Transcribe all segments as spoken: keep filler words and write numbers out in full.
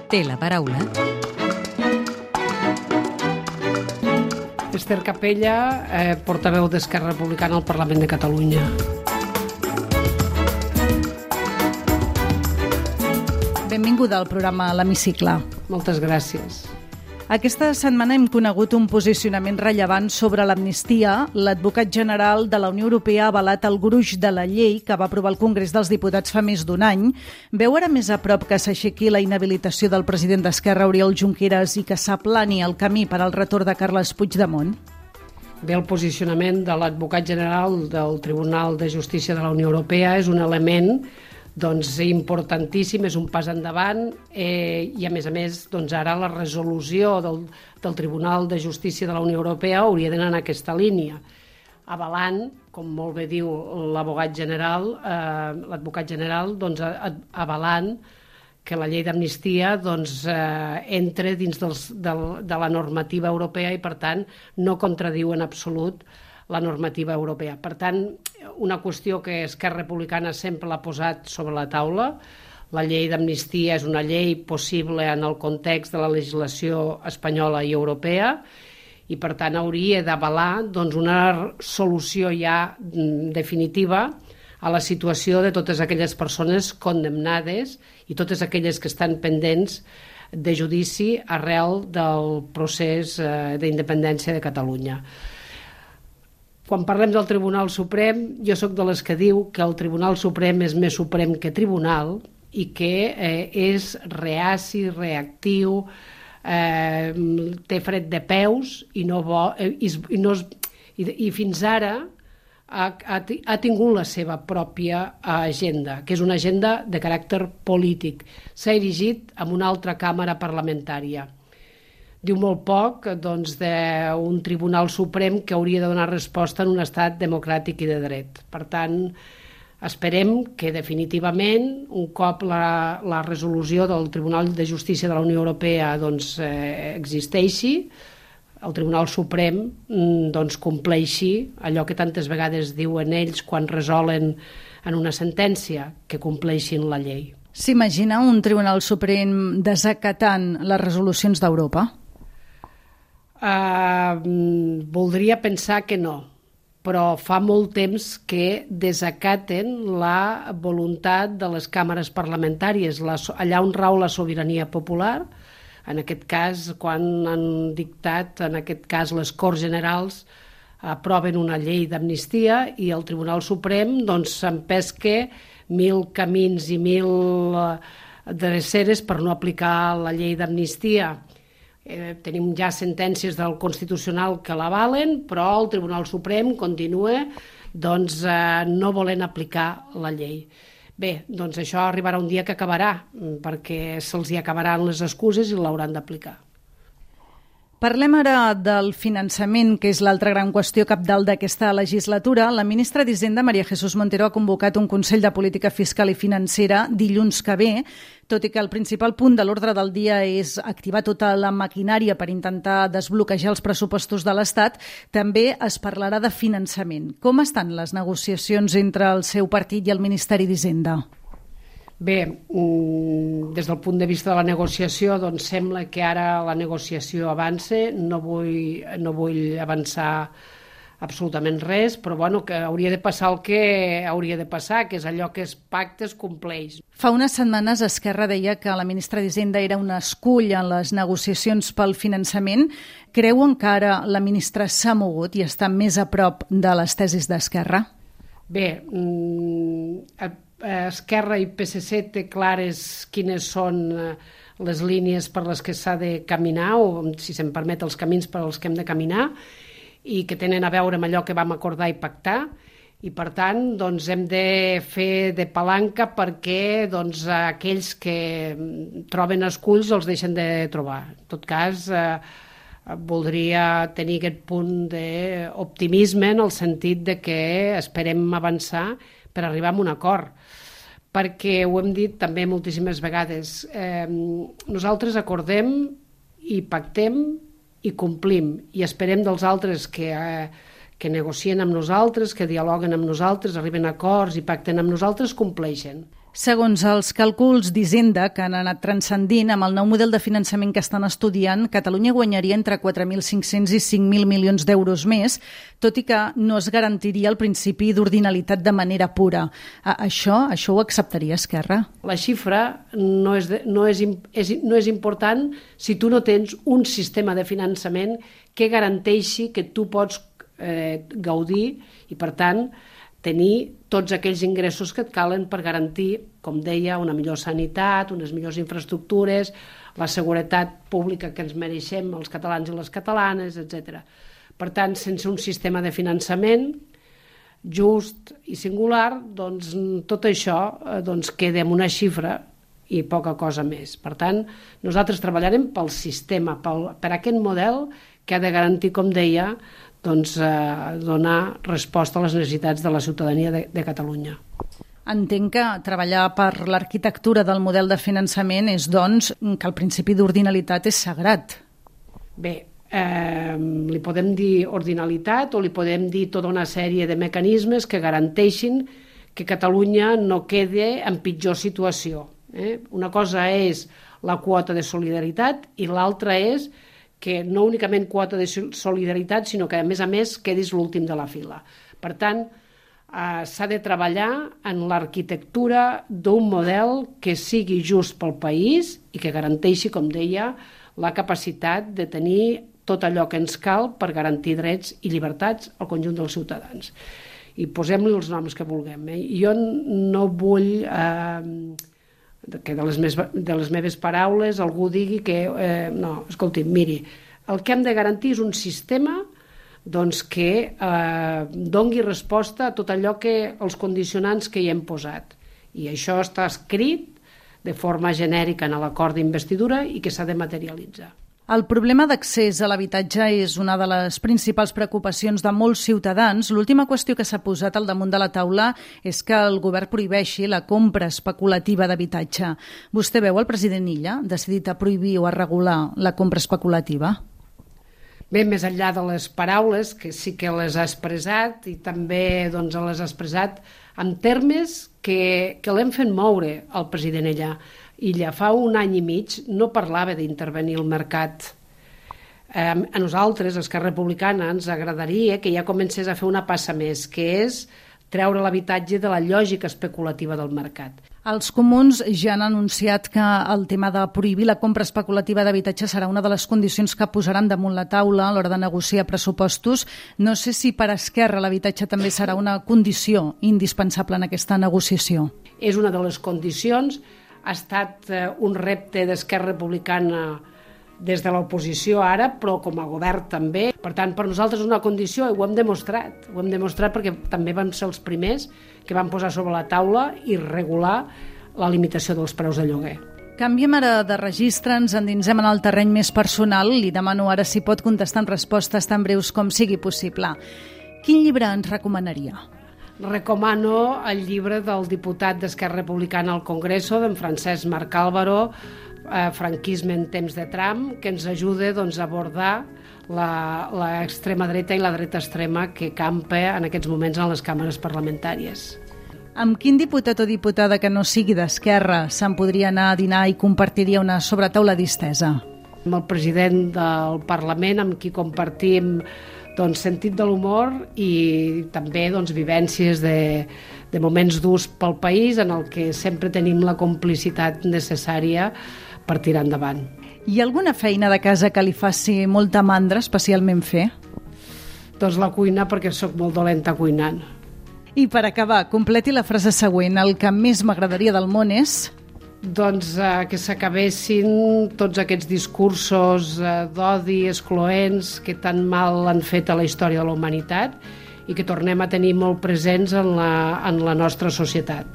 té la paraula Ester Capella, eh, portaveu d'Esquerra Republicana al Parlament de Catalunya. Benvinguda al programa L'Hemicicle. Moltes gràcies. Aquesta setmana hem conegut un posicionament rellevant sobre l'amnistia. L'advocat general de la Unió Europea ha avalat el gruix de la llei que va aprovar el Congrés dels Diputats fa més d'un any. Veu ara més a prop que s'aixequi la inhabilitació del president d'Esquerra, Oriol Junqueras, i que s'aplani el camí per al retorn de Carles Puigdemont? Bé, el posicionament de l'advocat general del Tribunal de Justícia de la Unió Europea és un element doncs, importantíssim, és un pas endavant eh, i a més a més doncs, ara la resolució del, del Tribunal de Justícia de la Unió Europea hauria d'anar en aquesta línia, avalant, com molt bé diu l'abogat general, eh, l'advocat general, doncs, avalant que la llei d'amnistia doncs, eh, entre dins dels, del, de la normativa europea i, per tant, no contradiu en absolut la normativa europea. Per tant, una qüestió que Esquerra Republicana sempre l'ha posat sobre la taula, la llei d'amnistia és una llei possible en el context de la legislació espanyola i europea i, per tant, hauria d'avalar doncs, una solució ja definitiva a la situació de totes aquelles persones condemnades i totes aquelles que estan pendents de judici arrel del procés eh, d'independència de Catalunya. Quan parlem del Tribunal Suprem, jo sóc de les que diu que el Tribunal Suprem és més suprem que tribunal i que eh, és reaci, reactiu, eh, té fred de peus i, no bo, eh, i, i, no, i, i fins ara ha, ha, ha tingut la seva pròpia agenda, que és una agenda de caràcter polític. S'ha erigit en una altra càmera parlamentària. Diu molt poc doncs, d'un Tribunal Suprem que hauria de donar resposta en un estat democràtic i de dret. Per tant, esperem que definitivament, un cop la, la resolució del Tribunal de Justícia de la Unió Europea doncs, eh, existeixi, el Tribunal Suprem doncs, compleixi allò que tantes vegades diuen ells quan resolen en una sentència, que compleixin la llei. S'imagina un Tribunal Suprem desacatant les resolucions d'Europa? Uh, voldria pensar que no, però fa molt temps que desacaten la voluntat de les càmeres parlamentàries, la, allà on rau la sobirania popular, en aquest cas, quan han dictat, en aquest cas, les Corts Generals aproven una llei d'amnistia i el Tribunal Suprem doncs, s'empesca mil camins i mil dreceres per no aplicar la llei d'amnistia. Eh, tenim ja sentències del Constitucional que l'avalen, però el Tribunal Suprem continua doncs, eh, no volent aplicar la llei. Bé, doncs això arribarà un dia que acabarà, perquè se'ls hi acabaran les excuses i l'hauran d'aplicar. Parlem ara del finançament, que és l'altra gran qüestió cabdal d'aquesta legislatura. La ministra d'Hisenda, María Jesús Montero, ha convocat un Consell de Política Fiscal i Financera dilluns que ve, tot i que el principal punt de l'ordre del dia és activar tota la maquinària per intentar desbloquejar els pressupostos de l'Estat, també es parlarà de finançament. Com estan les negociacions entre el seu partit i el Ministeri d'Hisenda? Bé, des del punt de vista de la negociació, doncs sembla que ara la negociació avança. No vull, no vull avançar absolutament res, però bueno, que hauria de passar el que hauria de passar, que és allò que es pacta es compleix. Fa unes setmanes Esquerra deia que la ministra d'Hisenda era un escull en les negociacions pel finançament. Creuen que ara la ministra s'ha mogut i està més a prop de les tesis d'Esquerra? Bé, Esquerra i P S C té clares quines són les línies per les que s'ha de caminar, o, si se'm permet, els camins per als que hem de caminar, i que tenen a veure amb allò que vam acordar i pactar, i per tant doncs, hem de fer de palanca perquè doncs, aquells que troben esculls els deixen de trobar. En tot cas, eh, voldria tenir aquest punt d'optimisme en el sentit de que esperem avançar per arribar a un acord, perquè ho hem dit també moltíssimes vegades. Eh, nosaltres acordem i pactem i complim, i esperem dels altres que, eh, que negocien amb nosaltres, que dialoguen amb nosaltres, arriben a acords i pacten amb nosaltres, compleixen. Segons els càlculs d'Hisenda que han anat transcendint, amb el nou model de finançament que estan estudiant, Catalunya guanyaria entre quatre mil cinc-cents i cinc mil milions d'euros més, tot i que no es garantiria el principi d'ordinalitat de manera pura. Això, això ho acceptaria Esquerra? La xifra no és, de, no, és, és, no és important si tu no tens un sistema de finançament que garanteixi que tu pots eh, gaudir i, per tant, tenir tots aquells ingressos que et calen per garantir, com deia, una millor sanitat, unes millors infraestructures, la seguretat pública que ens mereixem els catalans i les catalanes, etcètera. Per tant, sense un sistema de finançament just i singular, doncs tot això doncs, queda en una xifra i poca cosa més. Per tant, nosaltres treballarem pel sistema, pel, per aquest model que ha de garantir, com deia, doncs, eh, donar resposta a les necessitats de la ciutadania de, de Catalunya. Entenc que treballar per l'arquitectura del model de finançament és, doncs, que el principi d'ordinalitat és sagrat. Bé, eh, li podem dir ordinalitat o li podem dir tota una sèrie de mecanismes que garanteixin que Catalunya no quede en pitjor situació. Eh? Una cosa és la quota de solidaritat i l'altra és que no únicament quota de solidaritat, sinó que, a més a més, quedis l'últim de la fila. Per tant, eh, s'ha de treballar en l'arquitectura d'un model que sigui just pel país i que garanteixi, com deia, la capacitat de tenir tot allò que ens cal per garantir drets i llibertats al conjunt dels ciutadans. I posem-li els noms que vulguem. Eh? Jo no vull eh, que de les, mes, de les meves paraules algú digui que, eh, no, escolti, miri, el que hem de garantir és un sistema doncs, que eh, dongui resposta a tot allò que els condicionants que hi hem posat. I això està escrit de forma genèrica en l'acord d'investidura i que s'ha de materialitzar. El problema d'accés a l'habitatge és una de les principals preocupacions de molts ciutadans. L'última qüestió que s'ha posat al damunt de la taula és que el govern prohibeixi la compra especulativa d'habitatge. Vostè veu el president Illa decidit a prohibir o a regular la compra especulativa? Bé, més enllà de les paraules, que sí que les ha expressat i també doncs, les ha expressat en termes que, que l'hem fet moure el president Illa. Illa fa un any i mig no parlava d'intervenir el mercat. Eh, a nosaltres, Esquerra Republicana, ens agradaria que ja comencés a fer una passa més, que és treure l'habitatge de la lògica especulativa del mercat. Els comuns ja han anunciat que el tema de prohibir la compra especulativa d'habitatge serà una de les condicions que posaran damunt la taula a l'hora de negociar pressupostos. No sé si per Esquerra l'habitatge també serà una condició indispensable en aquesta negociació. És una de les condicions. Ha estat un repte d'Esquerra Republicana des de l'oposició ara, però com a govern també. Per tant, per nosaltres és una condició i ho hem demostrat. Ho hem demostrat perquè també vam ser els primers que van posar sobre la taula i regular la limitació dels preus de lloguer. Canviem ara de registre, ens endinsem en el terreny més personal. Li demano ara si pot contestar en respostes tan breus com sigui possible. Quin llibre ens recomanaria? Recomano el llibre del diputat d'Esquerra Republicana al Congreso, d'en Francesc Marc Álvaro, eh, Franquisme en temps de Trump, que ens ajuda doncs, a abordar l'extrema dreta i la dreta extrema que campa en aquests moments en les càmeres parlamentàries. Amb quin diputat o diputada que no sigui d'Esquerra se'n podria anar a dinar i compartiria una sobretaula distesa? Amb el president del Parlament, amb qui compartim doncs, sentit de l'humor i també doncs, vivències de, de moments durs pel país en el que sempre tenim la complicitat necessària per tirar endavant. Hi ha alguna feina de casa que li faci molta mandra especialment fer? Doncs la cuina, perquè sóc molt dolenta cuinant. I per acabar, completi la frase següent. El que més m'agradaria del món és... Doncs eh, que s'acabessin tots aquests discursos eh, d'odi excloents que tan mal han fet a la història de la humanitat i que tornem a tenir molt presents en la, en la nostra societat.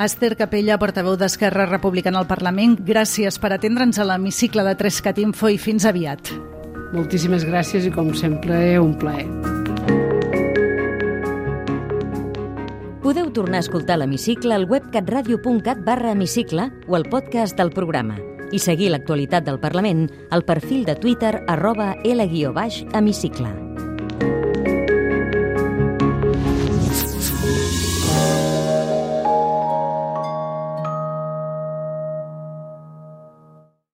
Esther Capella, portaveu d'Esquerra Republicana al Parlament, gràcies per atendre'ns a l'hemicicle de Trescat Info i fins aviat. Moltíssimes gràcies i, com sempre, un plaer. Podeu tornar a escoltar l'hemicicle al web catradio punt cat barra hemicicle o al podcast del programa i seguir l'actualitat del Parlament al perfil de Twitter arroba L guió baix hemicicle.